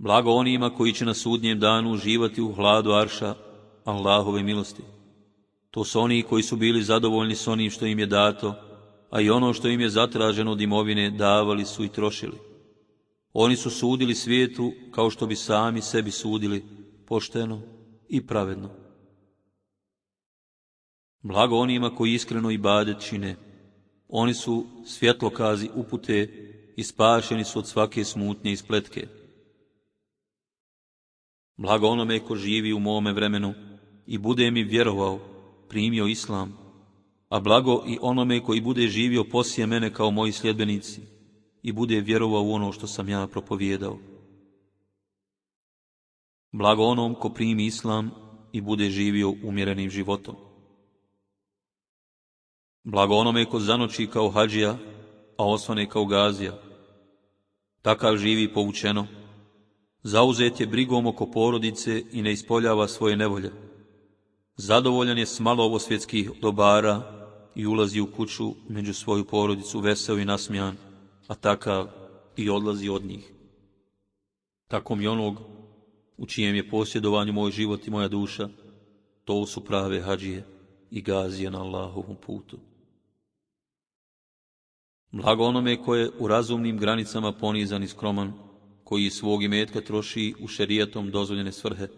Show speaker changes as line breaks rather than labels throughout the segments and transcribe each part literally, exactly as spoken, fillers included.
Blago onima koji će na sudnjem danu uživati u hladu arša Allahove milosti. To su oni koji su bili zadovoljni s onim što im je dato, a i ono što im je zatraženo od imovine davali su i trošili. Oni su sudili svijetu kao što bi sami sebi sudili, pošteno i pravedno. Blago onima koji iskreno ibadet čine. Oni su svjetlokazi upute i spašeni su od svake smutnje i spletke. Blago onome ko živi u mome vremenu i bude mi vjerovao, primio islam, a blago i onome koji bude živio poslije mene kao moji sljedbenici i bude vjerovao u ono što sam ja propovijedao. Blago onom ko primi islam i bude živio umjerenim životom. Blago onome ko zanoći kao hadžija, a osvane kao gazija. Takav živi poučeno, zauzet je brigom oko porodice i ne ispoljava svoje nevolje. Zadovoljan je s malo ovosvjetskih dobara i ulazi u kuću među svoju porodicu veseo i nasmijan, a takav i odlazi od njih. Tako mi onog u čijem je posjedovanju moj život i moja duša, to su prave hadžije i gazije na Allahovom putu. Blago onome ko je u razumnim granicama ponizan i skroman, koji svog imetka troši u šerijatom dozvoljene svrhe,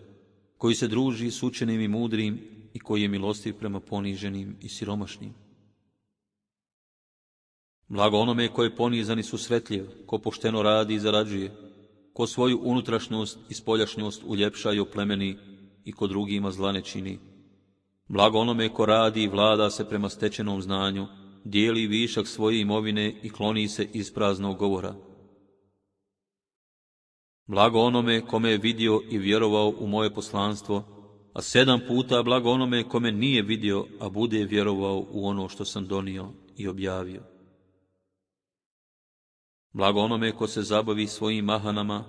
koji se druži s učenim i mudrim i koji je milostiv prema poniženim i siromašnim. Blago onome ko je ponizan i susretljiv, ko pošteno radi i zarađuje, ko svoju unutrašnjost i spoljašnjost uljepša i oplemeni i ko drugima zla ne čini. Blago onome ko radi i vlada se prema stečenom znanju, dijeli višak svoje imovine i kloni se iz praznog govora. Blago onome kome je vidio i vjerovao u moje poslanstvo, a sedam puta blago onome kome nije vidio, a bude vjerovao u ono što sam donio i objavio. Blago onome ko se zabavi svojim mahanama,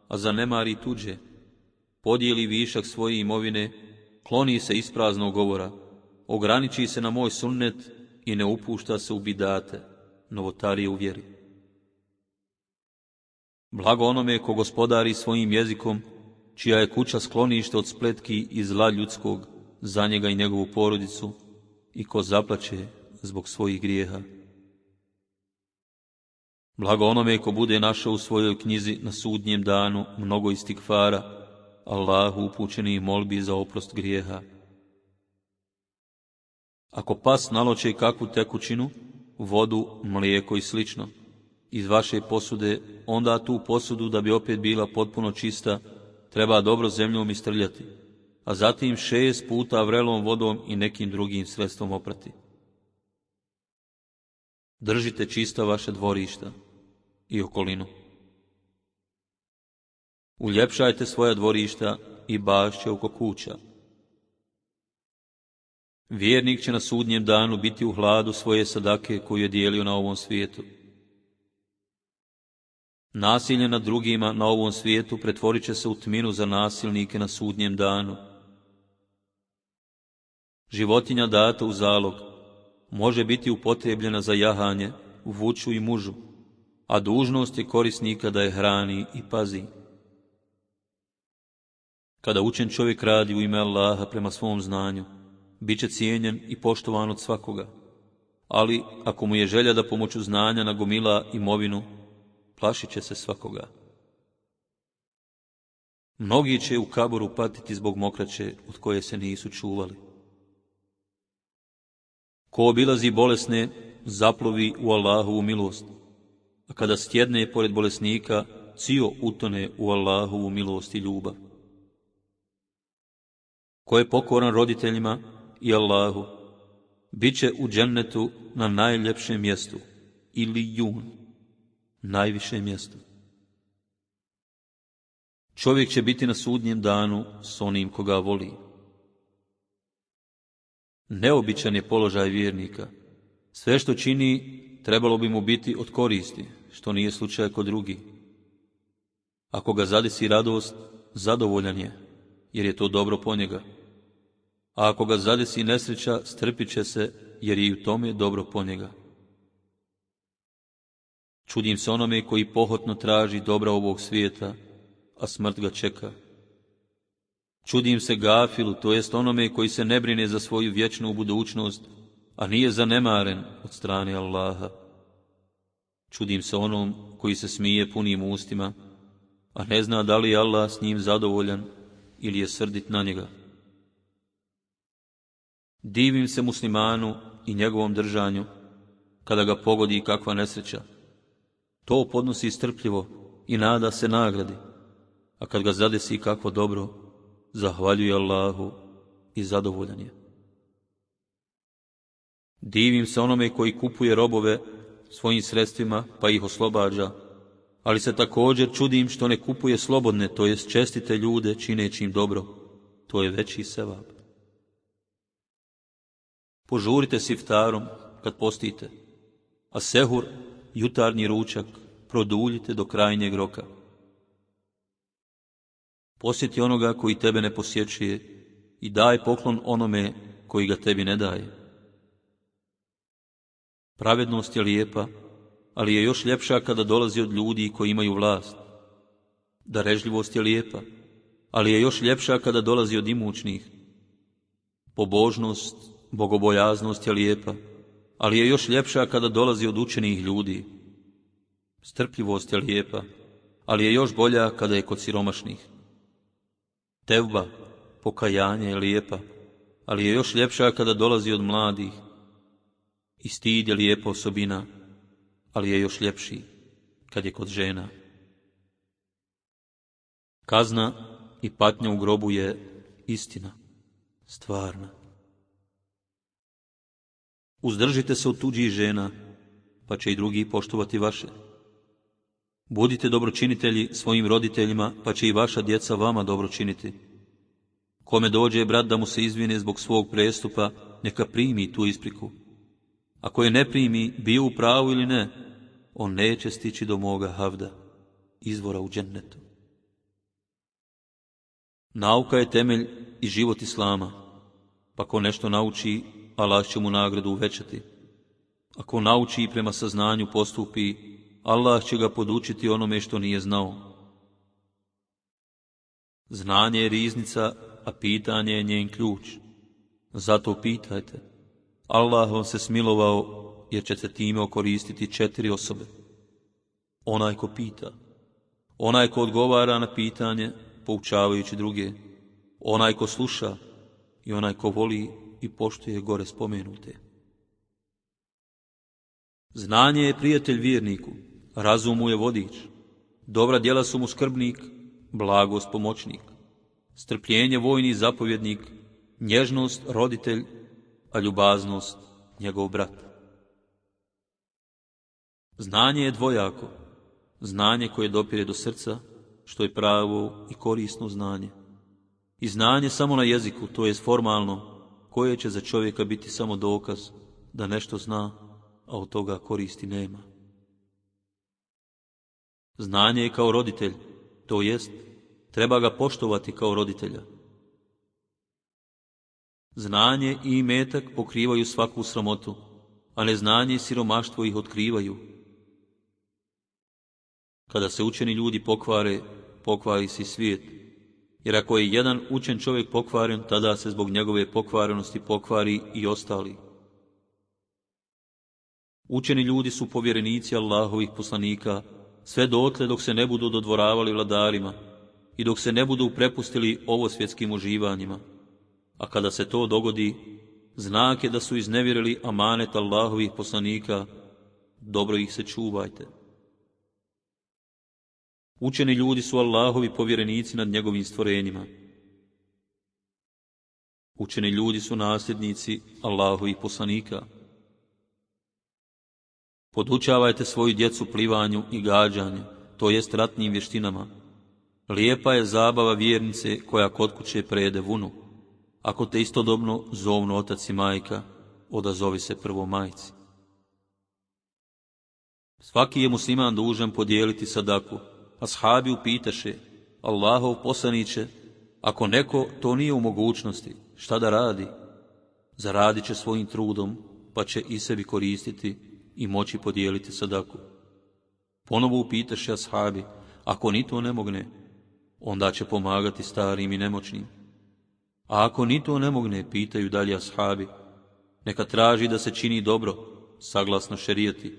a zanemari tuđe, podijeli višak svoje imovine, kloni se iz praznog govora, ograniči se na moj sunnet i ne upušta se u bidate, novotarije u vjeri. Blago onome ko gospodari svojim jezikom, čija je kuća sklonište od spletki i zla ljudskog za njega i njegovu porodicu, i ko zaplače zbog svojih grijeha. Blago onome ko bude našao u svojoj knjizi na sudnjem danu mnogo istikfara, Allahu upućenih molbi za oprost grijeha. Ako pas naloče kakvu tekućinu, vodu, mlijeko i slično, iz vaše posude, onda tu posudu, da bi opet bila potpuno čista, treba dobro zemljom istrljati, a zatim šest puta vrelom vodom i nekim drugim sredstvom oprati. Držite čista vaše dvorišta i okolinu. Uljepšajte svoja dvorišta i bašće oko kuća. Vjernik će na sudnjem danu biti u hladu svoje sadake koju je dijelio na ovom svijetu. Nasilje nad drugima na ovom svijetu pretvorit će se u tminu za nasilnike na sudnjem danu. Životinja data u zalog može biti upotrebljena za jahanje, vuču i mužu, a dužnost je korisnika da je hrani i pazi. Kada učen čovjek radi u ime Allaha prema svom znanju, bit će cijenjen i poštovan od svakoga, ali ako mu je želja da pomoću znanja nagomila imovinu, plašit će se svakoga. Mnogi će u kaboru patiti zbog mokraće od koje se nisu čuvali. Ko obilazi bolesne, zaplovi u Allahovu milost, a kada stjedne pored bolesnika, cio utone u Allahovu milost i ljubav. Ko je pokoran roditeljima i Allahu, bit će u džennetu na najljepšem mjestu, ili jun, najvišem mjestu. Čovjek će biti na sudnjem danu s onim koga voli. Neobičan je položaj vjernika. Sve što čini trebalo bi mu biti od koristi, što nije slučaj kod drugih. Ako ga zadesi radost, zadovoljan je, jer je to dobro po njega. A ako ga zadesi nesreća, strpit će se, jer je i u tome dobro po njega. Čudim se onome koji pohotno traži dobra ovog svijeta, a smrt ga čeka. Čudim se gafilu, to jest onome koji se ne brine za svoju vječnu budućnost, a nije zanemaren od strane Allaha. Čudim se onom koji se smije punim ustima, a ne zna da li je Allah s njim zadovoljan ili je srdit na njega. Divim se muslimanu i njegovom držanju, kada ga pogodi kakva nesreća. To podnosi strpljivo i nada se nagradi, a kad ga zadesi kakvo dobro, zahvaljuje Allahu i zadovoljan je. Divim se onome koji kupuje robove svojim sredstvima pa ih oslobađa, ali se također čudim što ne kupuje slobodne, to jest čestite ljude čineći im dobro, to je veći sevap. Požurite s iftarom kad postite, a sehur, jutarnji ručak, produljite do krajnjeg roka. Posjeti onoga koji tebe ne posjećuje i daj poklon onome koji ga tebi ne daje. Pravednost je lijepa, ali je još ljepša kada dolazi od ljudi koji imaju vlast. Darežljivost je lijepa, ali je još ljepša kada dolazi od imućnih. Pobožnost, bogobojaznost je lijepa, ali je još ljepša kada dolazi od učenih ljudi. Strpljivost je lijepa, ali je još bolja kada je kod siromašnih. Tevba, pokajanje je lijepa, ali je još ljepša kada dolazi od mladih. I stid je lijepa osobina, ali je još ljepši kad je kod žena. Kazna i patnja u grobu je istina, stvarna. Uzdržite se od tuđih žena, pa će i drugi poštovati vaše. Budite dobročinitelji svojim roditeljima, pa će i vaša djeca vama dobro činiti. Kome dođe brat da mu se izvine zbog svog prestupa, neka primi tu ispriku. Ako je ne primi, bio u pravu ili ne, on neće stići do moga havda, izvora u džennetu. Nauka je temelj i život islama, pa ko nešto nauči, Allah će mu nagradu uvećati. Ako nauči i prema saznanju postupi, Allah će ga podučiti onome što nije znao. Znanje je riznica, a pitanje je njen ključ. Zato pitajte. Allah vam se smilovao, jer ćete time okoristiti četiri osobe. Onaj ko pita, onaj ko odgovara na pitanje, poučavajući druge, onaj ko sluša i onaj ko voli i poštuje gore spomenute. Znanje je prijatelj vjerniku, razum mu je vodič, dobra djela su mu skrbnik, blagost pomoćnik, strpljenje vojni zapovjednik, nježnost roditelj, a ljubaznost njegov brat. Znanje je dvojako, znanje koje dopire do srca, što je pravo i korisno znanje. I znanje samo na jeziku, to je formalno, koje će za čovjeka biti samo dokaz da nešto zna, a od toga koristi nema. Znanje je kao roditelj, to jest, treba ga poštovati kao roditelja. Znanje i imetak pokrivaju svaku sramotu, a neznanje i siromaštvo ih otkrivaju. Kada se učeni ljudi pokvare, pokvari se i svijet, jer ako je jedan učen čovjek pokvaren, tada se zbog njegove pokvarenosti pokvari i ostali. Učeni ljudi su povjerenici Allahovih poslanika, sve dotle dok se ne budu dodvoravali vladarima i dok se ne budu prepustili ovosvjetskim uživanjima. A kada se to dogodi, znak je da su iznevjerili amanet Allahovih poslanika, dobro ih se čuvajte. Učeni ljudi su Allahovi povjerenici nad njegovim stvorenjima. Učeni ljudi su nasljednici Allahovih poslanika. Podučavajte svoju djecu plivanju i gađanju, to jest ratnim vještinama. Lijepa je zabava vjernice koja kod kuće prejede vunu. Ako te istodobno zovnu otac i majka, odazovi se prvo majci. Svaki je musliman dužan podijeliti sadaku. Ashabi upitaše, Allahov poslaniće, ako neko to nije u mogućnosti, šta da radi? Zaradit će svojim trudom, pa će i sebi koristiti i moći podijeliti sadaku. Ponovo upitaše ashabi, ako ni to ne mogne, onda će pomagati starim i nemoćnim. A ako ni to ne mogne, pitaju dalje ashabi, neka traži da se čini dobro, saglasno šerijati.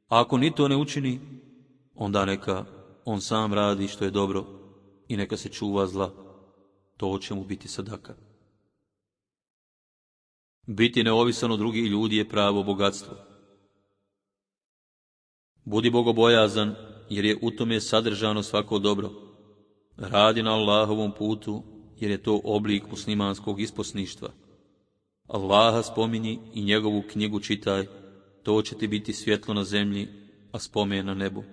A ako ni to ne učini, onda neka on sam radi što je dobro i neka se čuva zla. To će mu biti sadaka. Biti neovisan od drugih ljudi je pravo bogatstvo. Budi bogobojazan, jer je u tome sadržano svako dobro. Radi na Allahovom putu, jer je to oblik muslimanskog isposništva. Allaha spominji i njegovu knjigu čitaj, to će ti biti svjetlo na zemlji, a spomen na nebu.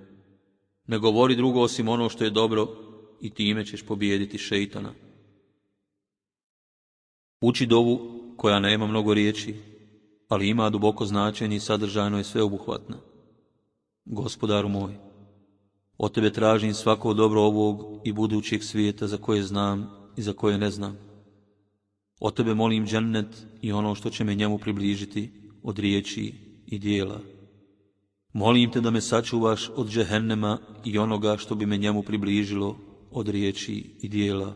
Ne govori drugo osim ono što je dobro i time ćeš pobijediti šeitana. Uči dovu koja nema mnogo riječi, ali ima duboko značenje i sadržajno je sveobuhvatna. Gospodaru moj, od tebe tražim svako dobro ovog i budućeg svijeta za koje znam i za koje ne znam. Od tebe molim džennet i ono što će me njemu približiti od riječi i dijela. Molim te da me sačuvaš od džehennema i onoga što bi me njemu približilo od riječi i dijela.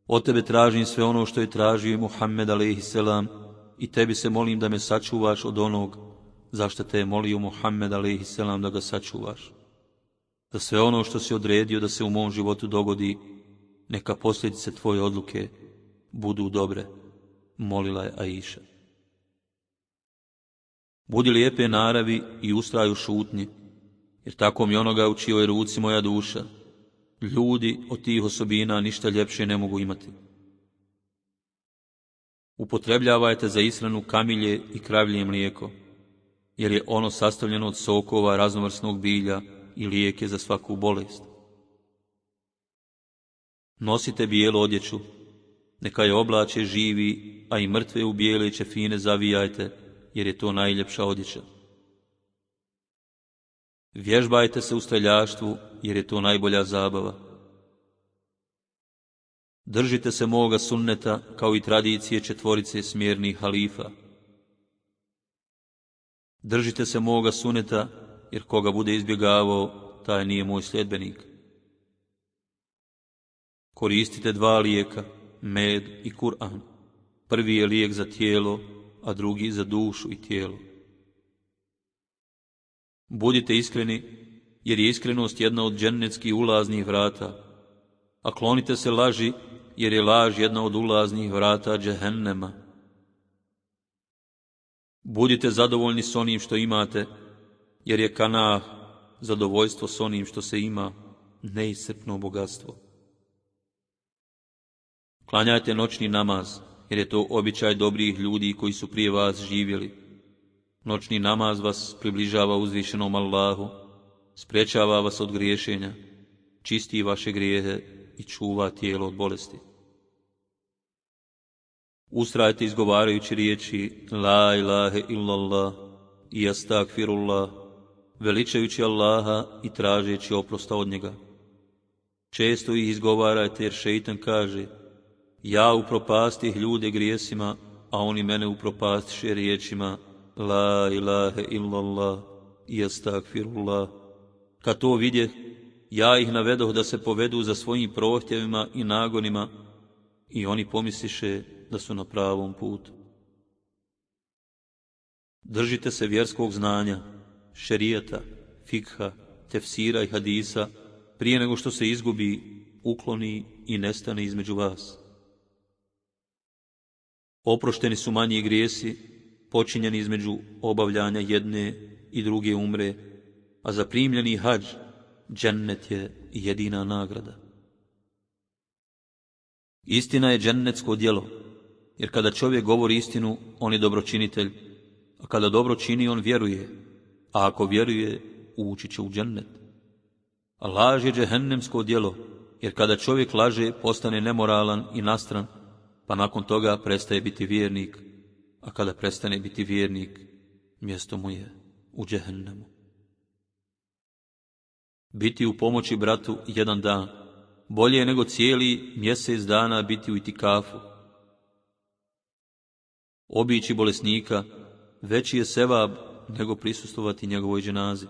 Od tebe tražim sve ono što je tražio i Muhammed alejhiselam i tebi se molim da me sačuvaš od onog zašto te je molio Muhammed alejhiselam da ga sačuvaš. Da sve ono što si odredio da se u mom životu dogodi, neka posljedice tvoje odluke budu dobre, molila je Aisha. Budi lijepe naravi i ustraj u šutnji, jer tako mi onoga u čijoj ruci moja duša. Ljudi od tih osobina ništa ljepše ne mogu imati. Upotrebljavajte za ishranu kamilje i kravlje mlijeko, jer je ono sastavljeno od sokova raznovrsnog bilja i lijek je za svaku bolest. Nosite bijelu odjeću, neka je oblače živi, a i mrtve u bijele ćefine zavijajte, jer je to najljepša odjeća. Vježbajte se u streljaštvu, jer je to najbolja zabava. Držite se moga sunneta, kao i tradicije četvorice smjernih halifa. Držite se moga sunneta, jer koga bude izbjegavao, taj nije moj sljedbenik. Koristite dva lijeka, med i Kur'an. Prvi je lijek za tijelo, a drugi za dušu i tijelo. Budite iskreni, jer je iskrenost jedna od džennetskih ulaznih vrata, a klonite se laži, jer je laž jedna od ulaznih vrata džehennema. Budite zadovoljni s onim što imate, jer je kanah, zadovoljstvo s onim što se ima, neiscrpno bogatstvo. Klanjajte noćni namaz, jer je to običaj dobrih ljudi koji su prije vas živjeli. Noćni namaz vas približava uzvišenom Allahu, sprječava vas od griješenja, čisti vaše grijehe i čuva tijelo od bolesti. Ustrajte izgovarajući riječi La ilahe illallah i astagfirullah, veličajući Allaha i tražeći oprosta od njega. Često ih izgovarajte jer šeitan kaže ja upropastih ljude grijesima, a oni mene upropastiše riječima La ilahe illallah i astagfirullah. Kad to vidje, ja ih navedoh da se povedu za svojim prohtjevima i nagonima i oni pomisliše da su na pravom putu. Držite se vjerskog znanja, šerijata, fikha, tefsira i hadisa prije nego što se izgubi, ukloni i nestane između vas. Oprošteni su manji grijesi, počinjeni između obavljanja jedne i druge umre, a za primljeni hadž, džennet je jedina nagrada. Istina je džennetsko djelo, jer kada čovjek govori istinu, on je dobročinitelj, a kada dobro čini, on vjeruje, a ako vjeruje, ući će u džennet. A laž je džehennemsko djelo, jer kada čovjek laže, postane nemoralan i nastran, pa nakon toga prestaje biti vjernik, a kada prestane biti vjernik, mjesto mu je u džehennemu. Biti u pomoći bratu jedan dan, bolje je nego cijeli mjesec dana biti u itikafu. Obići bolesnika, veći je sevab nego prisustvovati njegovoj dženazi.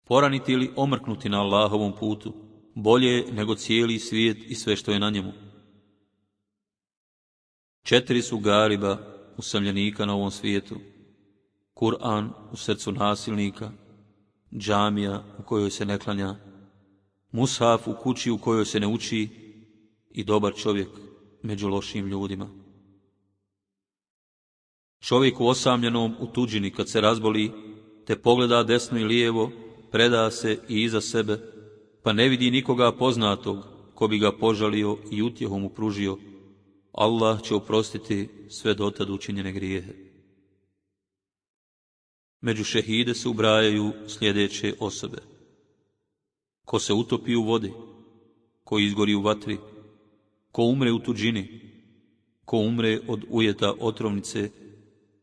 Poraniti ili omrknuti na Allahovom putu, bolje nego cijeli svijet i sve što je na njemu. Četiri su gariba usamljenika na ovom svijetu: Kur'an u srcu nasilnika, džamija u kojoj se ne klanja, mushaf u kući u kojoj se ne uči i dobar čovjek među lošim ljudima. Čovjek u osamljenom u tuđini kad se razboli, te pogleda desno i lijevo, preda se i iza sebe, pa ne vidi nikoga poznatog ko bi ga požalio i utjehu mu pružio, Allah će oprostiti sve dotad učinjene grijehe. Među šehide se ubrajaju sljedeće osobe: ko se utopi u vodi, ko izgori u vatri, ko umre u tuđini, ko umre od ujeta otrovnice,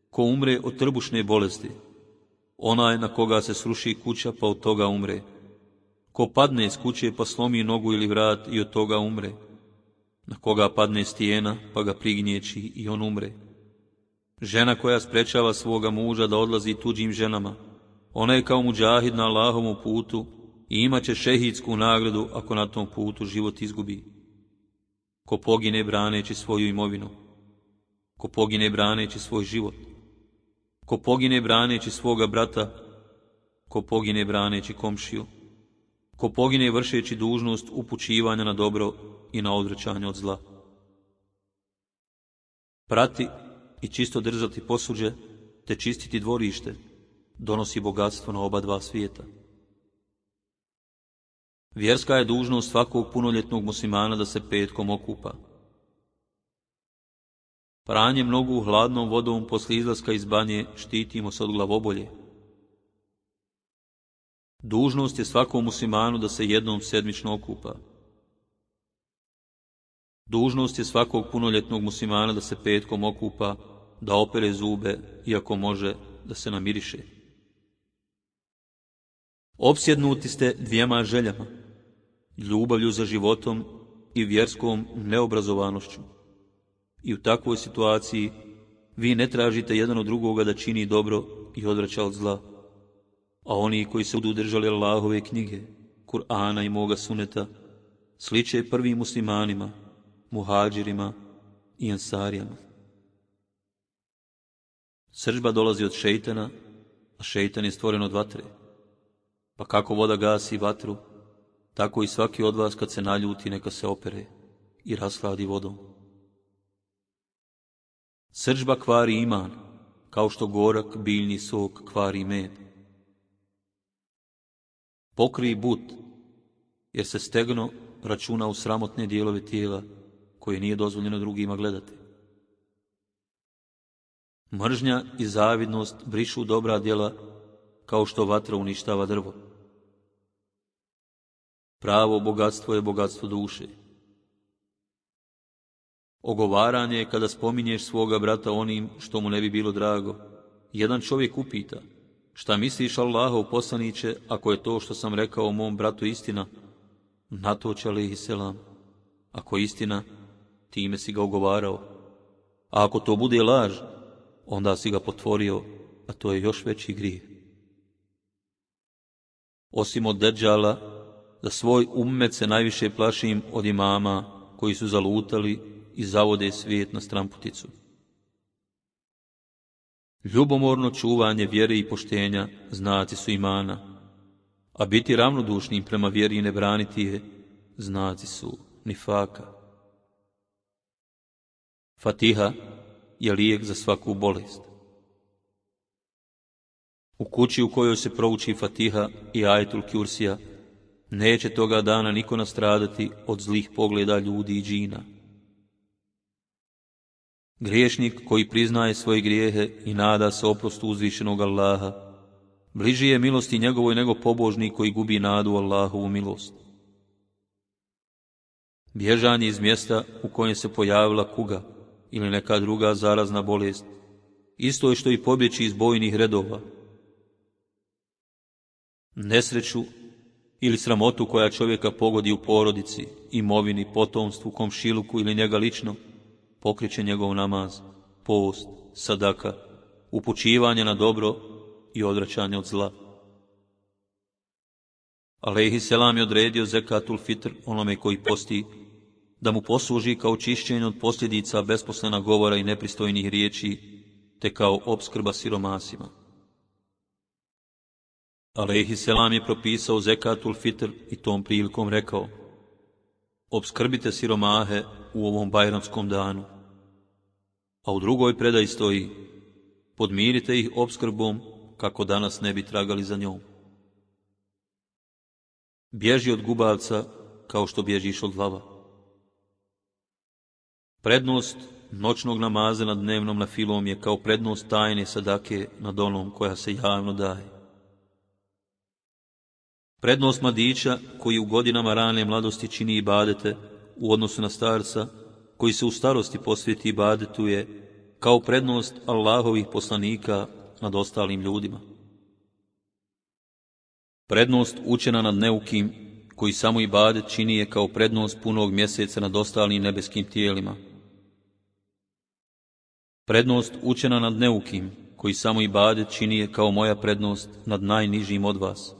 ko umre od trbušne bolesti, onaj na koga se sruši kuća pa od toga umre, ko padne iz kuće pa slomi nogu ili vrat i od toga umre, na koga padne stijena pa ga prignječi i on umre, žena koja sprečava svoga muža da odlazi tuđim ženama, ona je kao muđahid na Allahovom putu i imat će šehidsku nagradu ako na tom putu život izgubi. Ko pogine braneći svoju imovinu, ko pogine braneći svoj život, ko pogine braneći svoga brata, ko pogine braneći komšiju, ko pogine vršeći dužnost upućivanja na dobro i na odvraćanje od zla. Prati i čisto držati posuđe, te čistiti dvorište, donosi bogatstvo na oba dva svijeta. Vjerska je dužnost svakog punoljetnog muslimana da se petkom okupa. Pranjem nogu hladnom vodom poslije izlaska iz banje štitimo se od glavobolje. Dužnost je svakom muslimanu da se jednom sedmično okupa. Dužnost je svakog punoljetnog muslimana da se petkom okupa, da opere zube i ako može da se namiriše. Opsjednuti ste dvijema željama, ljubavlju za životom i vjerskom neobrazovanošću. I u takvoj situaciji vi ne tražite jedan od drugoga da čini dobro i odvraća od zla, a oni koji se budu držali Allahove knjige, Kur'ana i moga suneta, sliče prvim muslimanima, muhađirima i ansarijama. Srdžba dolazi od šejtana, a šejtan je stvoren od vatre. Pa kako voda gasi vatru, tako i svaki od vas kad se naljuti neka se opere i rashladi vodom. Srdžba kvari iman, kao što gorak biljni sok kvari med. Pokrij but, jer se stegno računa u sramotne dijelove tijela koje nije dozvoljeno drugima gledati. Mržnja i zavidnost brišu dobra djela, kao što vatra uništava drvo. Pravo bogatstvo je bogatstvo duše. Ogovaranje je kada spominješ svoga brata onim što mu ne bi bilo drago. Jedan čovjek upita: šta misliš, Allahov poslaniće, ako je to što sam rekao o mom bratu istina? Na to će alejhi selam: ako je istina, time si ga ogovarao, a ako to bude laž, onda si ga potvorio, a to je još veći grijeh. Osim od Deđala, za svoj ummet se najviše plašim od imama koji su zalutali i zavode svijet na stramputicu. Ljubomorno čuvanje vjere i poštenja znaci su imana, a biti ravnodušnim prema vjeri i ne braniti je znaci su nifaka. Fatiha je lijek za svaku bolest. U kući u kojoj se prouči Fatiha i ajetul Kursija, neće toga dana niko nastradati od zlih pogleda ljudi i džina. Griješnik koji priznaje svoje grijehe i nada se oprostu uzvišenog Allaha, bliži je milosti njegovoj nego pobožnik koji gubi nadu u Allahovu milost. Bježanje iz mjesta u kojem se pojavila kuga ili neka druga zarazna bolest, isto je što i pobjeći iz bojnih redova. Nesreću ili sramotu koja čovjeka pogodi u porodici, imovini, potomstvu, komšiluku ili njega lično, pokriće njegov namaz, post, sadaka, upućivanje na dobro i odvraćanje od zla. Alejhi selam je odredio zekatul fitr onome koji posti, da mu posluži kao čišćenje od posljedica besposlena govora i nepristojnih riječi, te kao opskrba siromasima. Alejhi selam je propisao zekatul fitr i tom prilikom rekao: opskrbite siromahe u ovom bajramskom danu. A u drugoj predaji stoji: podmirite ih opskrbom kako danas ne bi tragali za njom. Bježi od gubavca kao što bježiš od lava. Prednost noćnog namaza nad dnevnom nafilom je kao prednost tajne sadake nad onom koja se javno daje. Prednost mladića koji u godinama rane mladosti čini ibadete u odnosu na starca koji se u starosti posvjeti ibadetu je kao prednost Allahovih poslanika nad ostalim ljudima. Prednost učena nad neukim koji samo ibadet čini je kao prednost punog mjeseca nad ostalim nebeskim tijelima. Prednost učena nad neukim koji samo ibadet čini je kao moja prednost nad najnižim od vas.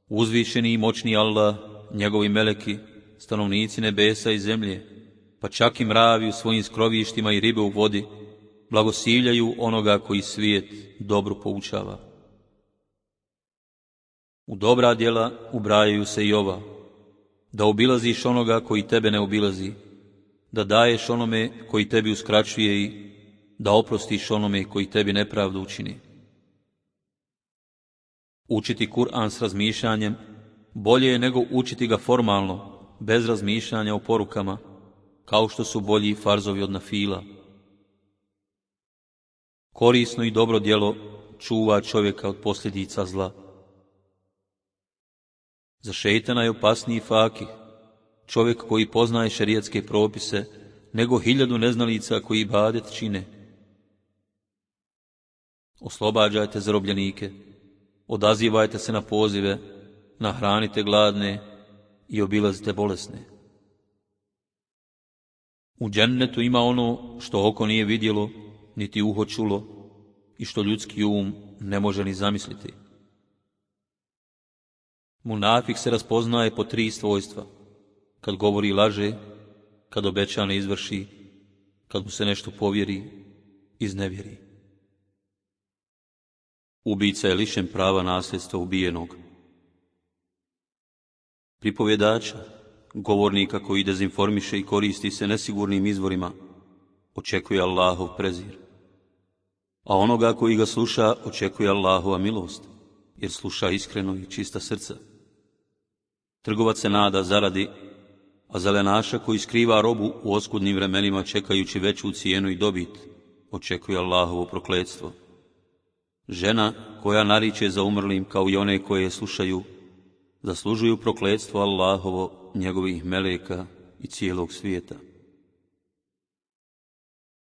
Uzvišeni i moćni Allah, njegovi meleki, stanovnici nebesa i zemlje, pa čak i mravi u svojim skrovištima i ribe u vodi, blagosiljaju onoga koji svijet dobro poučava. U dobra djela ubrajaju se i ova: da obilaziš onoga koji tebe ne obilazi, da daješ onome koji tebi uskraćuje i da oprostiš onome koji tebi nepravdu učini. Učiti Kur'an s razmišljanjem bolje je nego učiti ga formalno, bez razmišljanja o porukama, kao što su bolji farzovi od nafila. Korisno i dobro djelo čuva čovjeka od posljedica zla. Za šejtana je opasniji fakih, čovjek koji poznaje šerijatske propise, nego hiljadu neznalica koji ibadet čine. Oslobađajte zarobljenike, odazivajte se na pozive, nahranite gladne i obilazite bolesne. U džennetu ima ono što oko nije vidjelo, niti uho čulo, i što ljudski um ne može ni zamisliti. Munafik se raspoznaje po tri svojstva: kad govori laže, kad obeća ne izvrši, kad mu se nešto povjeri, iznevjeri. Ubica je lišen prava nasljedstva ubijenog. Pripovjedača, govornika koji dezinformiše i koristi se nesigurnim izvorima, očekuje Allahov prezir. A onoga koji ga sluša očekuje Allahova milost, jer sluša iskreno i čista srca. Trgovac se nada zaradi, a zelenaša koji skriva robu u oskudnim vremenima čekajući veću cijenu i dobit, očekuje Allahovo prokletstvo. Žena koja nariče za umrlim kao i one koje je slušaju, zaslužuju prokletstvo Allahovo, njegovih meleka i cijelog svijeta.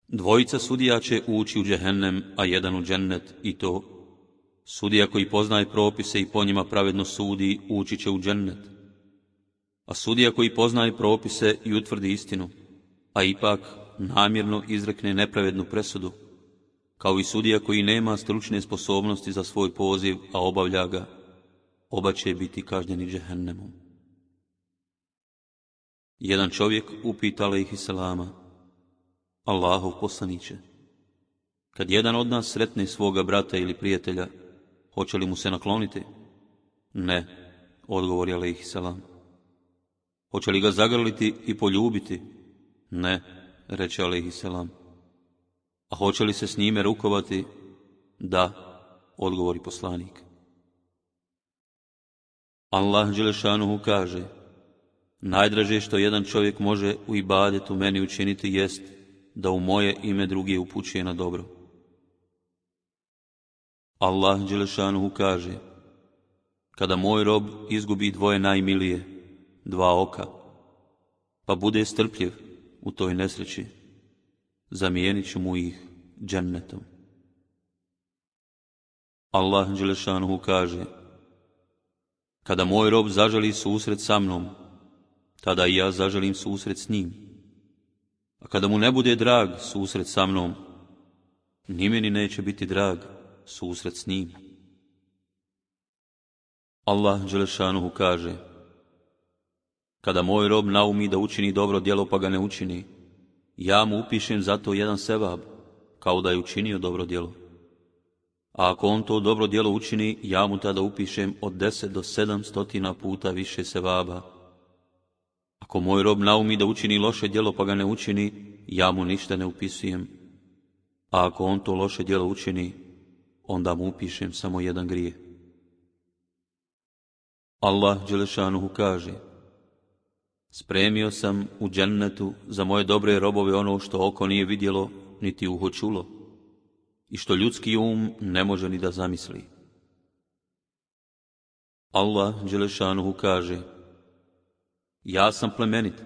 Dvojica sudija će ući u džehennem, a jedan u džennet, i to sudija koji poznaje propise i po njima pravedno sudi ući će u džennet, a sudija koji poznaje propise i utvrdi istinu, a ipak namjerno izrekne nepravednu presudu, kao i sudija koji nema stručne sposobnosti za svoj poziv, a obavlja ga, oba će biti kažnjeni džehennemom. Jedan čovjek upita alejhi selama: Allahov poslaniće, kad jedan od nas sretne svoga brata ili prijatelja, hoće li mu se nakloniti? Ne, odgovori alejhi selam. Hoće li ga zagrliti i poljubiti? Ne, reče alejhi selam. A hoće li se s njime rukovati? Da, odgovori poslanik. Allah dželešanuhu kaže: najdraže što jedan čovjek može u ibadetu meni učiniti jest da u moje ime druge upućuje na dobro. Allah dželešanuhu kaže: kada moj rob izgubi dvoje najmilije, dva oka, pa bude strpljiv u toj nesreći, zamijenit ću mu ih džennetom. Allah dželešanuhu kaže: kada moj rob zaželi susret sa mnom, tada i ja zaželim susret s njim. A kada mu ne bude drag susret sa mnom, ni meni neće biti drag susret s njim. Allah dželešanuhu kaže: kada moj rob naumi da učini dobro djelo pa ga ne učini, ja mu upišem za to jedan sevab, kao da je učinio dobro djelo. A ako on to dobro djelo učini, ja mu tada upišem od deset do sedam stotina puta više sevaba. Ako moj rob naumi da učini loše djelo pa ga ne učini, ja mu ništa ne upisujem. A ako on to loše djelo učini, onda mu upišem samo jedan grijeh. Allah dželešanuhu kaže: spremio sam u džennetu za moje dobre robove ono što oko nije vidjelo, niti uho čulo, i što ljudski um ne može ni da zamisli. Allah dželešanuhu kaže: ja sam plemenit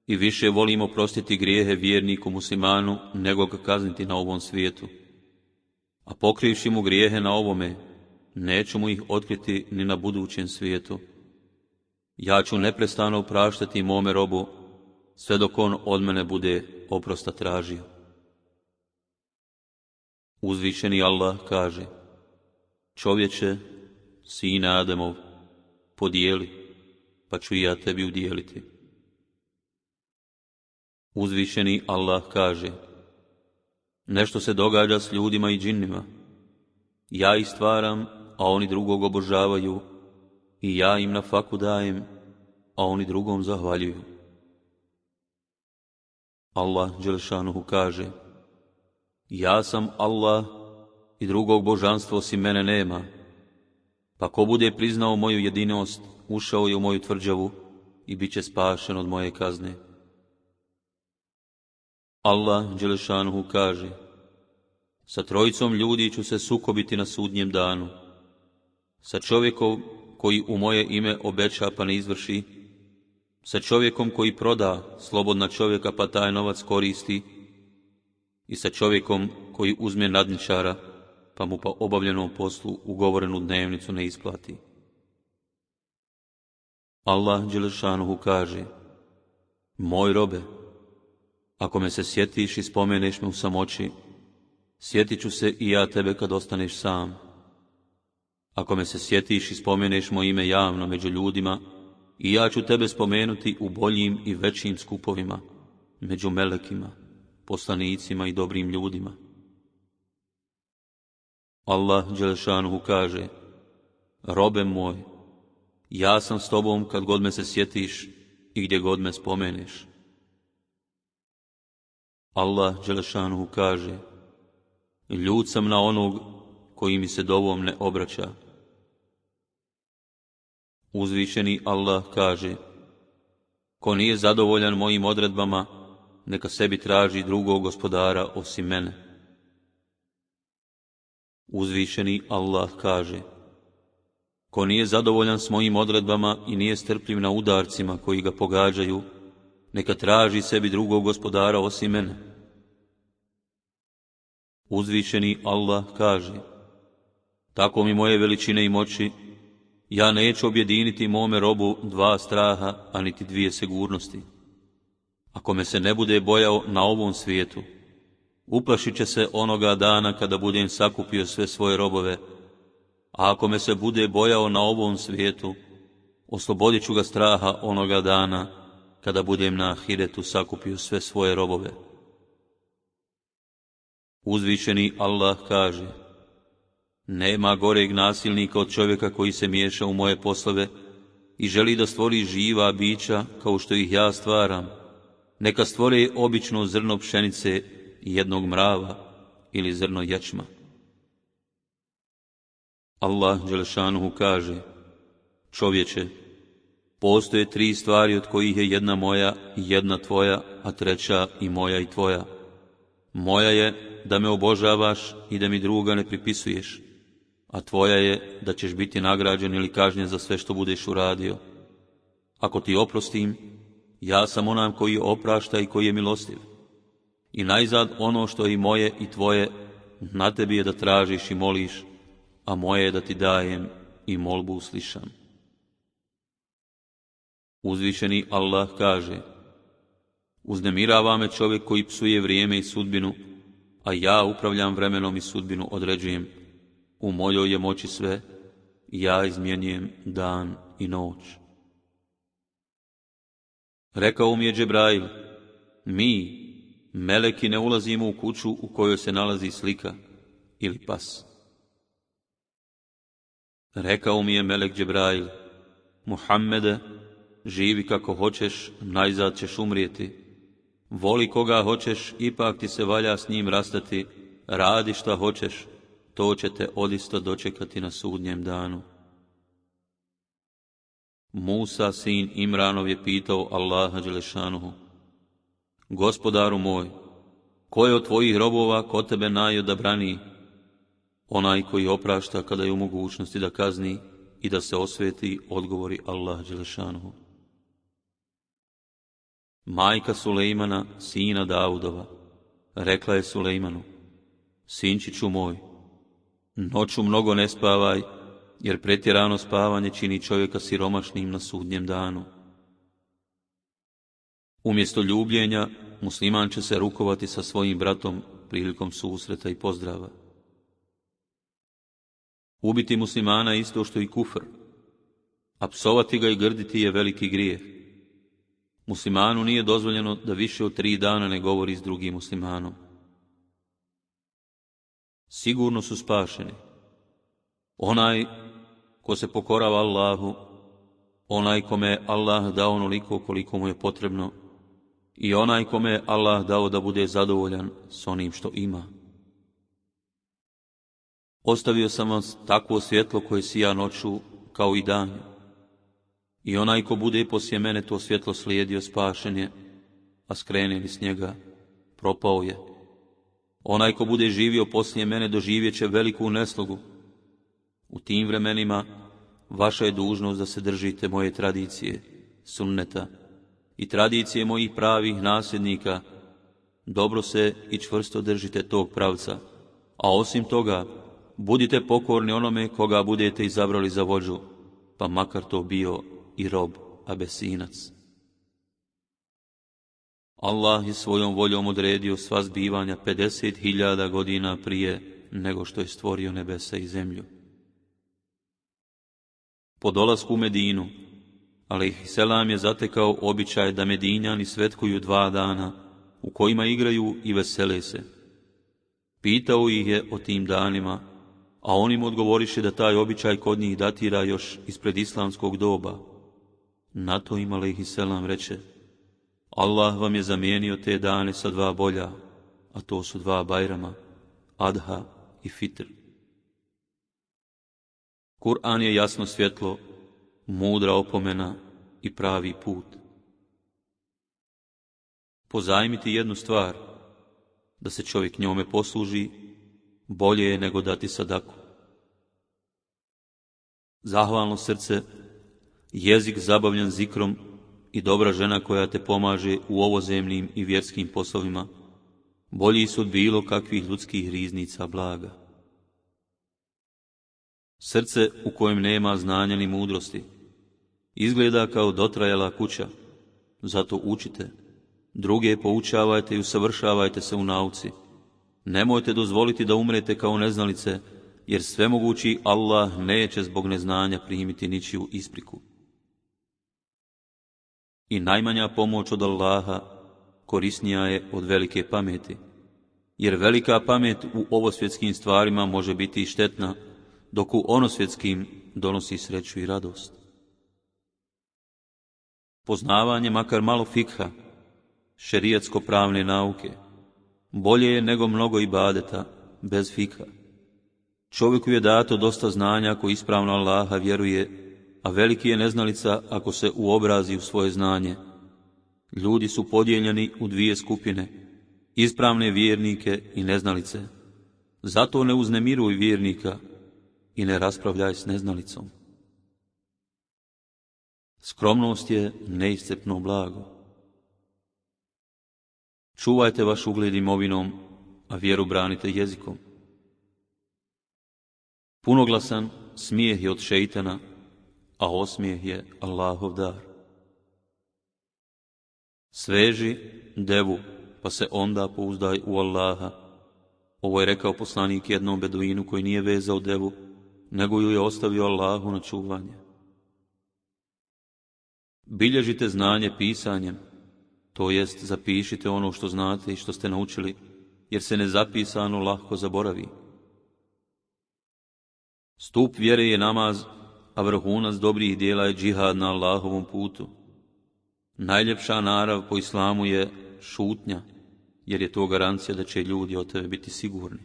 i više volim oprostiti grijehe vjerniku muslimanu nego ga kazniti na ovom svijetu. A pokrivši mu grijehe na ovome, neću mu ih otkriti ni na budućem svijetu. Ja ću neprestano opraštati mome robu, sve dok on od mene bude oprosta tražio. Uzvišeni Allah kaže: čovječe, sine Ademov, podijeli, pa ću i ja tebi udijeliti. Uzvišeni Allah kaže: nešto se događa s ljudima i džinnima. Ja ih stvaram, a oni drugog obožavaju, i ja im na faku dajem, a oni drugom zahvaljuju. Allah dželešanuhu kaže: ja sam Allah i drugog božanstva osim mene nema, pa ko bude priznao moju jedinost, ušao je u moju tvrđavu i bit će spašen od moje kazne. Allah dželešanuhu kaže: sa trojicom ljudi ću se sukobiti na sudnjem danu, sa čovjekom koji u moje ime obeća pa ne izvrši, sa čovjekom koji proda slobodna čovjeka pa taj novac koristi, i sa čovjekom koji uzme nadničara pa mu po obavljenom poslu ugovorenu dnevnicu ne isplati. Allah dželešanuhu kaže: moj robe, ako me se sjetiš i spomeneš me u samoći, sjetit ću se i ja tebe kad ostaneš sam. Ako me se sjetiš i spomeneš moje ime javno među ljudima, i ja ću tebe spomenuti u boljim i većim skupovima, među melekima, poslanicima i dobrim ljudima. Allah dželešanuhu kaže: robe moj, ja sam s tobom kad god me se sjetiš i gdje god me spomeneš. Allah dželešanuhu kaže: ljud sam na onog koji mi se dovom ne obraća. Uzvišeni Allah kaže: ko nije zadovoljan mojim odredbama, neka sebi traži drugog gospodara osim mene. Uzvišeni Allah kaže: ko nije zadovoljan s mojim odredbama i nije strpljiv na udarcima koji ga pogađaju, neka traži sebi drugog gospodara osim mene. Uzvišeni Allah kaže: tako mi moje veličine i moći, ja neću objediniti mome robu dva straha, a niti dvije sigurnosti. Ako me se ne bude bojao na ovom svijetu, uplašit će se onoga dana kada budem sakupio sve svoje robove, a ako me se bude bojao na ovom svijetu, oslobodit ću ga straha onoga dana kada budem na ahiretu sakupio sve svoje robove. Uzvišeni Allah kaže: nema goreg nasilnika od čovjeka koji se miješa u moje poslove i želi da stvori živa bića kao što ih ja stvaram. Neka stvore obično zrno pšenice i jednog mrava ili zrno ječma. Allah dželešanuhu kaže: čovječe, postoje tri stvari od kojih je jedna moja i jedna tvoja, a treća i moja i tvoja. Moja je da me obožavaš i da mi druga ne pripisuješ, a tvoja je da ćeš biti nagrađen ili kažnjen za sve što budeš uradio. Ako ti oprostim, ja sam onam koji oprašta i koji je milostiv. I najzad ono što je i moje i tvoje, na tebi je da tražiš i moliš, a moje je da ti dajem i molbu uslišam. Uzvišeni Allah kaže: uznemirava me čovjek koji psuje vrijeme i sudbinu, a ja upravljam vremenom i sudbinu određujem. U mojoj je moći sve ja izmjenjujem dan i noć. Rekao mi je Džebrail, mi, meleki, ne ulazimo u kuću u kojoj se nalazi slika ili pas. Rekao mi je melek Džebrail, Muhammede, živi kako hoćeš, najzad ćeš umrijeti. Voli koga hoćeš, ipak ti se valja s njim rastati. Radi šta hoćeš, to će te odista dočekati na sudnjem danu. Musa, sin Imranov, je pitao Allaha dželešanuhu, Gospodaru moj, ko je od tvojih robova ko tebe najodabrani? Onaj koji oprašta kada je u mogućnosti da kazni i da se osveti, odgovori Allah dželešanuhu. Majka Sulejmana, sina Davudova, rekla je Sulejmanu, sinčiću moj, noću mnogo ne spavaj, jer pretjerano spavanje čini čovjeka siromašnim na sudnjem danu. Umjesto ljubljenja, musliman će se rukovati sa svojim bratom prilikom susreta i pozdrava. Ubiti muslimana isto što i kufr, a psovati ga i grditi je veliki grijeh. Muslimanu nije dozvoljeno da više od tri dana ne govori s drugim muslimanom. Sigurno su spašeni onaj ko se pokorava Allahu, onaj kome je Allah dao onoliko koliko mu je potrebno i onaj kome je Allah dao da bude zadovoljan s onim što ima. Ostavio sam vas takvo svjetlo koje sija noću kao i danju. I onaj ko bude poslije mene to svjetlo slijedio, spašen je, a skrene li s njega, propao je. Onaj ko bude živio poslije mene doživjet će veliku neslogu. U tim vremenima vaša je dužnost da se držite moje tradicije, sunneta i tradicije mojih pravih nasljednika. Dobro se i čvrsto držite tog pravca, a osim toga budite pokorni onome koga budete izabrali za vođu, pa makar to bio i rob Abesinac. Allah je svojom voljom odredio sva zbivanja pedeset hiljada godina prije nego što je stvorio nebesa i zemlju. Po dolasku u Medinu, alejhiselam je zatekao običaj da Medinjani svetkuju dva dana, u kojima igraju i vesele se. Pitao ih je o tim danima, a oni mu odgovoriše da taj običaj kod njih datira još ispred islamskog doba. Na to im alejhiselam reče, Allah vam je zamijenio te dane sa dva bolja, a to su dva Bajrama, Adha i Fitr. Kur'an je jasno svjetlo, mudra opomena i pravi put. Pozajmiti jednu stvar, da se čovjek njome posluži, bolje je nego dati sadaku. Zahvalno srce, jezik zabavljan zikrom i dobra žena koja te pomaže u ovozemnim i vjerskim poslovima, bolji su od bilo kakvih ljudskih riznica blaga. Srce u kojem nema znanja ni mudrosti izgleda kao dotrajala kuća, zato učite, druge poučavajte i usavršavajte se u nauci. Nemojte dozvoliti da umrete kao neznalice, jer svemogući Allah neće zbog neznanja primiti ničiju ispriku. I najmanja pomoć od Allaha korisnija je od velike pameti, jer velika pamet u ovosvjetskim stvarima može biti i štetna, dok u onosvjetskim donosi sreću i radost. Poznavanje makar malo fikha, šerijatsko-pravne nauke, bolje je nego mnogo ibadeta bez fikha. Čovjeku je dato dosta znanja ako ispravno Allaha vjeruje, a veliki je neznalica ako se uobrazi u svoje znanje. Ljudi su podijeljeni u dvije skupine, ispravne vjernike i neznalice. Zato ne uznemiruj vjernika i ne raspravljaj s neznalicom. Skromnost je neiscrpno blago. Čuvajte vaš ugled imovinom, a vjeru branite jezikom. Punoglasan smijeh je od šeitana, a osmijeh je Allahov dar. Sveži devu, pa se onda pouzdaj u Allaha. Ovo je rekao poslanik jednom beduinu koji nije vezao devu, nego ju je ostavio Allahu na čuvanje. Bilježite znanje pisanjem, to jest zapišite ono što znate i što ste naučili, jer se nezapisano lahko zaboravi. Stup vjere je namaz, a vrhunac dobrih dijela je džihad na Allahovom putu. Najljepša narav po islamu je šutnja, jer je to garancija da će ljudi od tebe biti sigurni.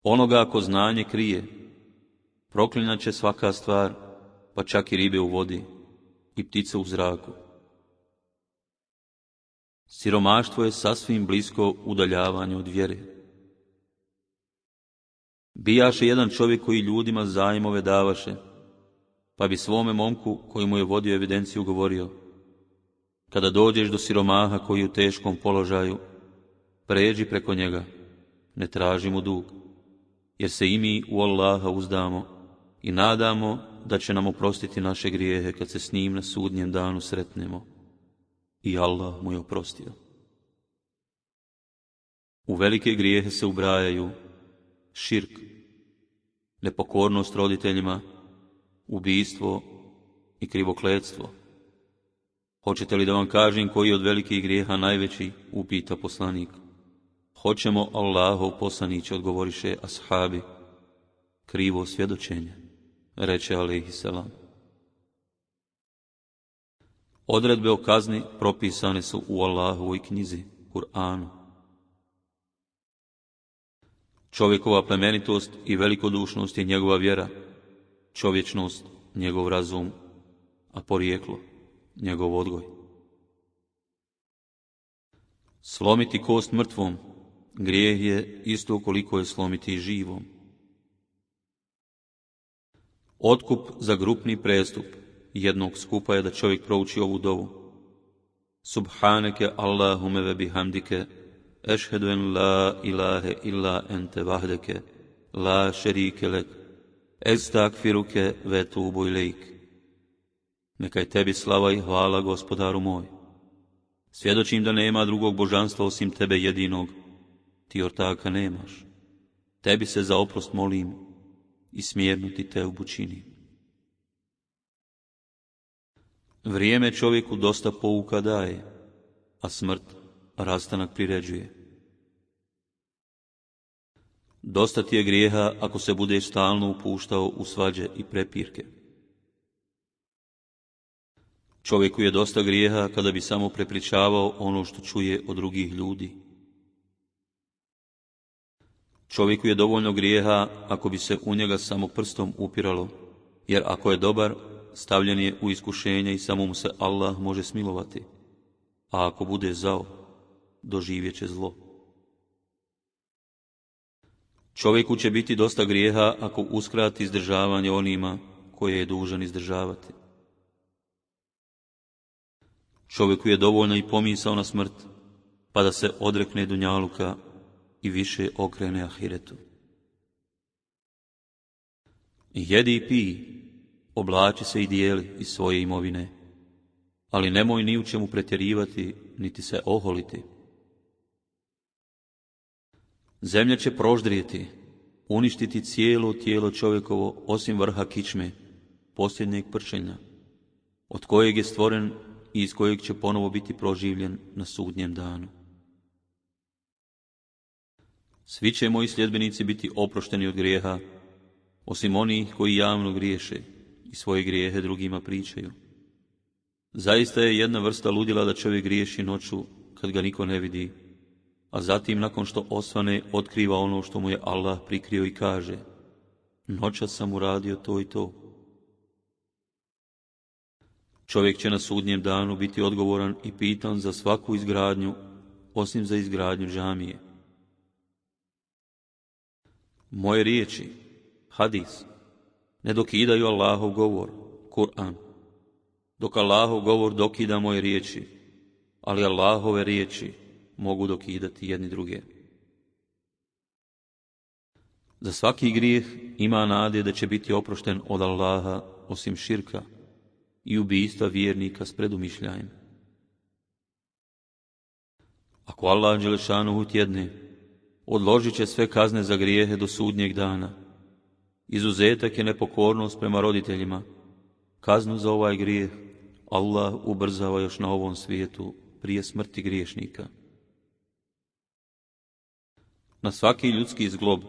Onoga ko znanje krije, proklinjat će svaka stvar, pa čak i ribe u vodi i ptice u zraku. Siromaštvo je sasvim blisko udaljavanje od vjere. Bijaše jedan čovjek koji ljudima zajmove davaše, pa bi svome momku koji mu je vodio evidenciju govorio: kada dođeš do siromaha koji je u teškom položaju, pređi preko njega, ne traži mu dug, jer se i mi u Allaha uzdamo i nadamo da će nam oprostiti naše grijehe kad se s njim na sudnjem danu sretnemo. I Allah mu je oprostio. U velike grijehe se ubrajaju širk, nepokornost roditeljima, ubijstvo i krivokletstvo. Hoćete li da vam kažem koji je od velikih grijeha najveći, upita poslanik. Hoćemo, Allahov poslaniće, odgovoriše ashabi. Krivo svjedočenje, reče alejhiselam. Odredbe o kazni propisane su u Allahovoj knjizi, Kur'anu. Čovjekova plemenitost i velikodušnost je njegova vjera, čovječnost njegov razum, a porijeklo njegov odgoj. Slomiti kost mrtvom grijeh je isto koliko je slomiti živom. Otkup za grupni prestup jednog skupa je da čovjek prouči ovu dovu. Subhaneke Allahume ve bihamdike, ešhedu en la ilahe illa ente vahdeke, la šerike lek, estakfiruke ve tubu ilejk. Neka je tebi slava i hvala, gospodaru moj. Svjedočim da nema drugog božanstva osim tebe jedinog, ti ortaka nemaš. Tebi se za oprost molim i smjerno ti teubu činim. Vrijeme čovjeku dosta pouka daje, a smrt rastanak priređuje. Dosta ti je grijeha ako se budeš stalno upuštao u svađe i prepirke. Čovjeku je dosta grijeha kada bi samo prepričavao ono što čuje od drugih ljudi. Čovjeku je dovoljno grijeha ako bi se u njega samo prstom upiralo, jer ako je dobar, stavljen je u iskušenje i samo mu se Allah može smilovati, a ako bude zao, doživjet će zlo. Čovjeku će biti dosta grijeha ako uskrati izdržavanje onima koje je dužan izdržavati. Čovjeku je dovoljno i pomisao na smrt, pa da se odrekne dunjaluka i više okrene ahiretu. Jedi i pij, oblači se i dijeli iz svoje imovine, ali nemoj ni u čemu pretjerivati, niti se oholiti. Zemlja će proždrijeti, uništiti cijelo tijelo čovjekovo, osim vrha kičme, posljednjeg pršenja, od kojeg je stvoren i iz kojeg će ponovo biti proživljen na sudnjem danu. Svi će moji sljedbenici biti oprošteni od grijeha, osim onih koji javno griješe i svoje grijehe drugima pričaju. Zaista je jedna vrsta ludila da čovjek griješi noću kad ga niko ne vidi, a zatim nakon što osvane otkriva ono što mu je Allah prikrio i kaže: noćas sam uradio to i to. Čovjek će na sudnjem danu biti odgovoran i pitan za svaku izgradnju, osim za izgradnju džamije. Moje riječi, hadis, ne dokidaju Allahov govor, Kur'an, dok Allahov govor dokida moje riječi, ali Allahove riječi mogu dokidati jedni druge. Za svaki grijeh ima nade da će biti oprošten od Allaha, osim širka i ubijstva vjernika s predumišljajem. Ako Allah dželešanuhu tjedne, odložit će sve kazne za grijehe do sudnjeg dana Izuzetak je nepokornost prema roditeljima. Kaznu za ovaj grijeh Allah ubrzava još na ovom svijetu prije smrti griješnika. Na svaki ljudski zglob,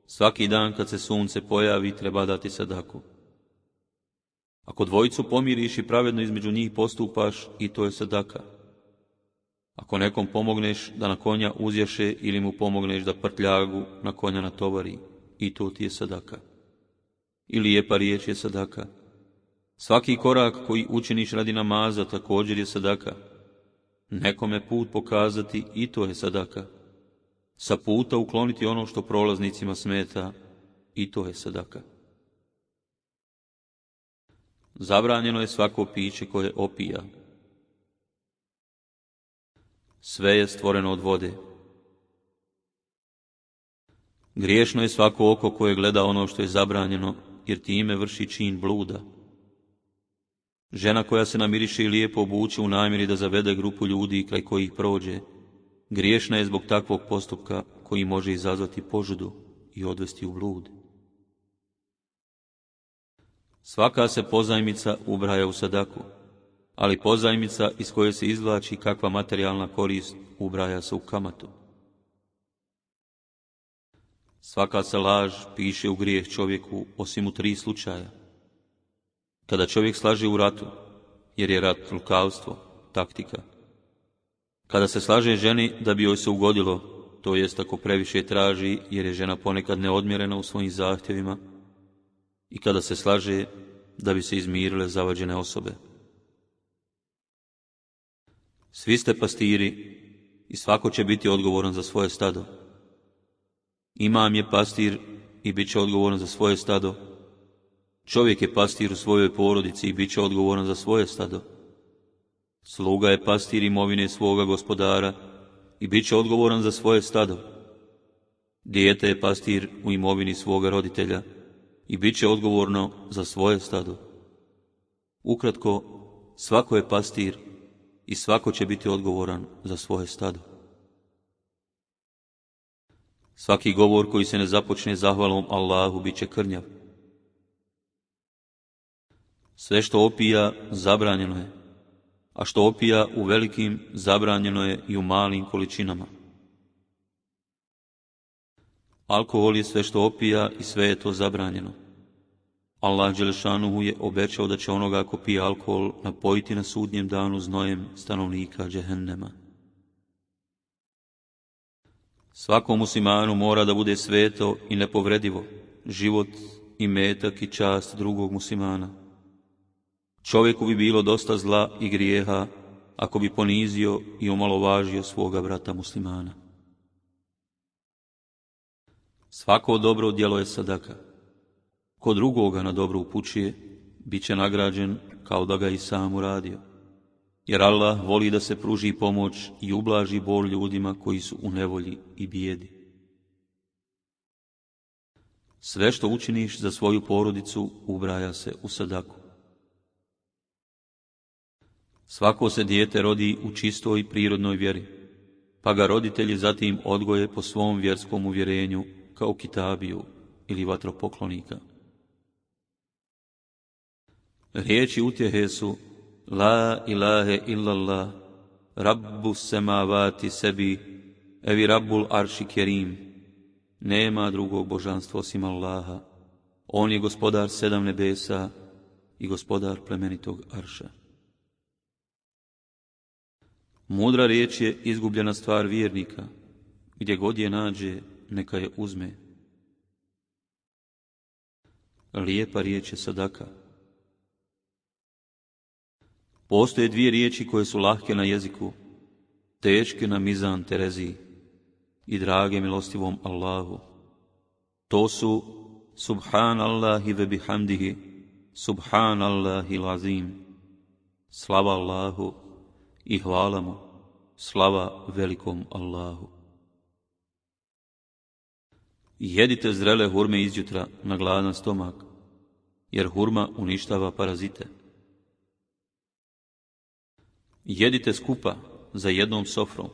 svaki dan kad se sunce pojavi, treba dati sadaku. Ako dvojicu pomiriš i pravedno između njih postupaš, i to je sadaka. Ako nekom pomogneš da na konja uzješe ili mu pomogneš da prtljagu na konja natovari, i to ti je sadaka. I lijepa riječ je sadaka. Svaki korak koji učiniš radi namaza također je sadaka. Nekome put pokazati, i to je sadaka. Sa puta ukloniti ono što prolaznicima smeta, i to je sadaka. Zabranjeno je svako piće koje opija. Sve je stvoreno od vode. Griješno je svako oko koje gleda ono što je zabranjeno, jer time vrši čin bluda. Žena koja se namiriše i lijepo obuče u namjeri da zavede grupu ljudi kraj kojih prođe, griješna je zbog takvog postupka koji može izazvati požudu i odvesti u blud. Svaka se pozajmica ubraja u sadaku, ali pozajmica iz koje se izvlači kakva materijalna korist ubraja se u kamatu. Svaka se laž piše u grijeh čovjeku osim u tri slučaja. Kada čovjek slaže u ratu, jer je rat lukavstvo, taktika. Kada se slaže ženi da bi joj se ugodilo, to jest ako previše traži, jer je žena ponekad neodmjerena u svojim zahtjevima, i kada se slaže da bi se izmirile zavađene osobe. Svi ste pastiri i svako će biti odgovoran za svoje stado. Imam je pastir i bit će odgovoran za svoje stado. Čovjek je pastir u svojoj porodici i bit će odgovoran za svoje stado. Sluga je pastir imovine svoga gospodara i bit će odgovoran za svoje stado. Dijete je pastir u imovini svoga roditelja i bit će odgovorno za svoje stado. Ukratko, svako je pastir i svako će biti odgovoran za svoje stado. Svaki govor koji se ne započne zahvalom Allahu bit će krnjav. Sve što opija zabranjeno je, a što opija u velikim zabranjeno je i u malim količinama. Alkohol je sve što opija i sve je to zabranjeno. Allah dželešanuhu je obećao da će onoga ko pije alkohol napojiti na sudnjem danu znojem stanovnika džehennema. Svakom muslimanu mora da bude sveto i nepovredivo život, imetak i čast drugog muslimana. Čovjeku bi bilo dosta zla i grijeha ako bi ponizio i omalovažio svoga brata muslimana. Svako dobro djelo je sadaka. Ko drugoga na dobro upućuje, bit će nagrađen kao da ga i sam uradio. Jer Allah voli da se pruži pomoć i ublaži bol ljudima koji su u nevolji i bijedi. Sve što učiniš za svoju porodicu ubraja se u sadaku. Svako se dijete rodi u čistoj i prirodnoj vjeri, pa ga roditelji zatim odgoje po svom vjerskom uvjerenju kao kitabiju ili vatropoklonika. Riječi utjehe su La ilahe illallah, Rabbu semavati sebi, evi Rabbul arši kerim. Nema drugog božanstva osim Allaha. On je gospodar sedam nebesa i gospodar plemenitog arša. Mudra riječ je izgubljena stvar vjernika. Gdje god je nađe, neka je uzme. Lijepa riječ je sadaka. Postoje dvije riječi koje su lahke na jeziku, teške na mizan Tereziji i drage milostivom Allahu. To su Subhanallahi ve bihamdihi, Subhanallahi lazim. Slava Allahu i hvala mu, slava velikom Allahu. Jedite zrele hurme izjutra na gladan stomak, jer hurma uništava parazite. Jedite skupa za jednom sofrom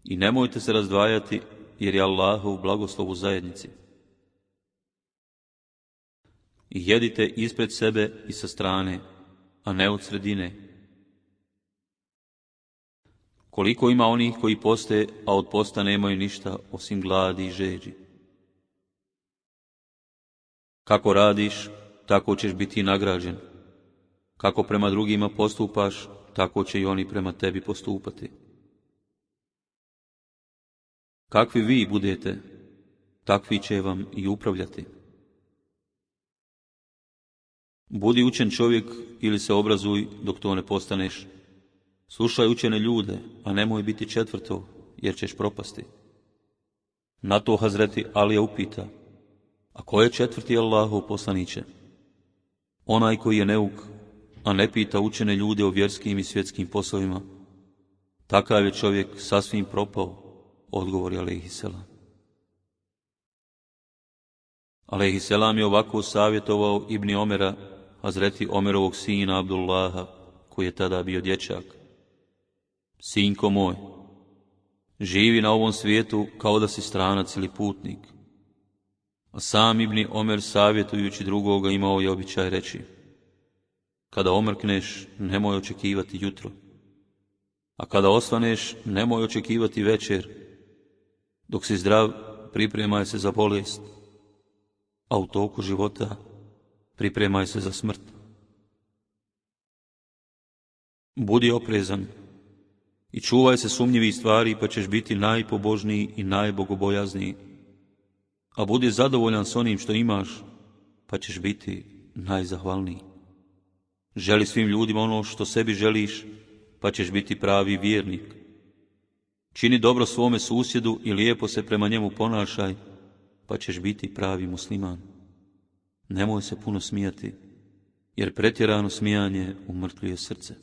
i nemojte se razdvajati, jer je Allahov blagoslov u zajednici. i jedite ispred sebe i sa strane, a ne od sredine. Koliko ima onih koji poste, a od posta nemaju ništa osim gladi i žeđi. Kako radiš, tako ćeš biti nagrađen. Kako prema drugima postupaš, tako će i oni prema tebi postupati. Kakvi vi budete, takvi će vam i upravljati. Budi učen čovjek ili se obrazuj dok to ne postaneš. Slušaj učene ljude, a nemoj biti četvrto, jer ćeš propasti. Na to Hazreti Alija upita, a ko je četvrti Allahov poslaniće? Onaj koji je neuk, a ne pita učene ljude o vjerskim i svjetskim poslovima. Takav je čovjek sasvim propao, odgovori alejhiselam. Alejhiselam je ovako savjetovao Ibni Omera, Hazreti Omerovog sina Abdullaha, koji je tada bio dječak. Sinko moj, živi na ovom svijetu kao da si stranac ili putnik. A sam Ibni Omer, savjetujući drugoga, imao je običaj reći, kada omrkneš, nemoj očekivati jutro, a kada osvaneš, nemoj očekivati večer. Dok si zdrav, pripremaj se za bolest, a u toku života pripremaj se za smrt. Budi oprezan i čuvaj se sumnjivih stvari, pa ćeš biti najpobožniji i najbogobojazniji. A budi zadovoljan s onim što imaš, pa ćeš biti najzahvalniji. Želi svim ljudima ono što sebi želiš, pa ćeš biti pravi vjernik. Čini dobro svome susjedu i lijepo se prema njemu ponašaj, pa ćeš biti pravi musliman. Nemoj se puno smijati, jer pretjerano smijanje umrtvljuje srce.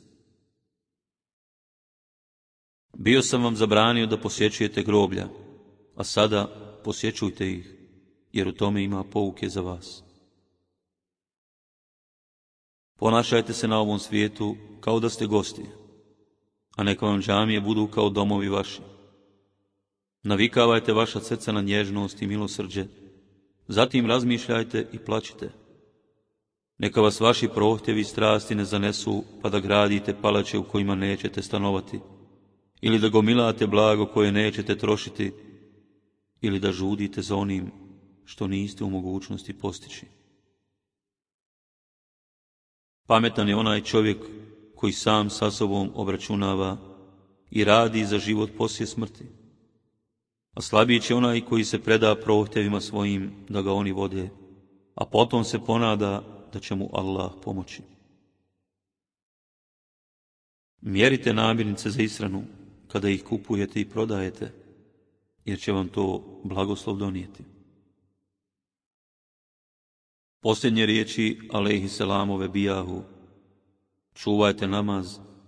Bio sam vam zabranio da posjećujete groblja, a sada posjećujte ih, jer u tome ima pouke za vas. Ponašajte se na ovom svijetu kao da ste gosti, a neka vam džamije budu kao domovi vaši. Navikavajte vaša srca na nježnost i milosrđe, zatim razmišljajte i plačite. Neka vas vaši prohtjevi i strasti ne zanesu, pa da gradite palače u kojima nećete stanovati, ili da gomilate blago koje nećete trošiti, ili da žudite za onim što niste u mogućnosti postići. Pametan je onaj čovjek koji sam sa sobom obračunava i radi za život poslije smrti, a slabiji će onaj koji se preda prohtjevima svojim da ga oni vode, a potom se ponada da će mu Allah pomoći. Mjerite namirnice za ishranu kada ih kupujete i prodajete, jer će vam to blagoslov donijeti. Posljednje riječi alejhiselamove bijahu: čuvajte namaz